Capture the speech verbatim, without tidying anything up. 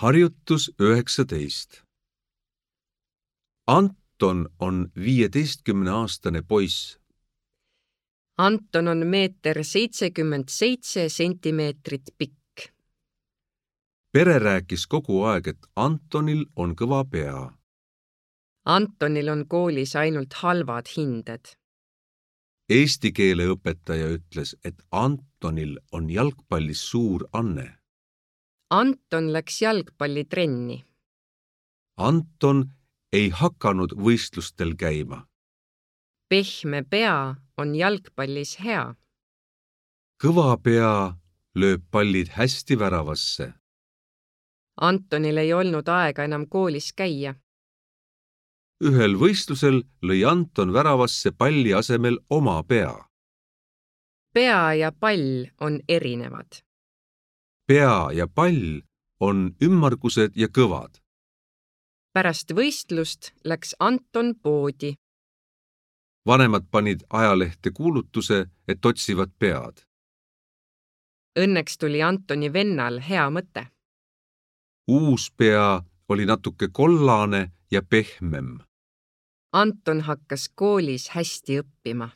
Harjutus üheksateist. Anton on viieteistkümneaastane poiss. Anton on meeter seitsekümmend seitse sentimeetrit pikk. Pere rääkis kogu aeg, et Antonil on kõva pea. Antonil on koolis ainult halvad hinded. Eesti keele õpetaja ütles, et Antonil on jalgpallis suur anne. Anton läks jalgpallitrenni. Anton ei hakanud võistlustel käima. Pehme pea on jalgpallis hea. Kõva pea lööb pallid hästi väravasse. Antonil ei olnud aega enam koolis käia. Ühel võistlusel lõi Anton väravasse palli asemel oma pea. Pea ja pall on erinevad. Pea ja pall on ümmargused ja kõvad. Pärast võistlust läks Anton poodi. Vanemad panid ajalehte kuulutuse, et otsivad pead. Õnneks tuli Antoni vennal hea mõte. Uus pea oli natuke kollane ja pehmem. Anton hakkas koolis hästi õppima.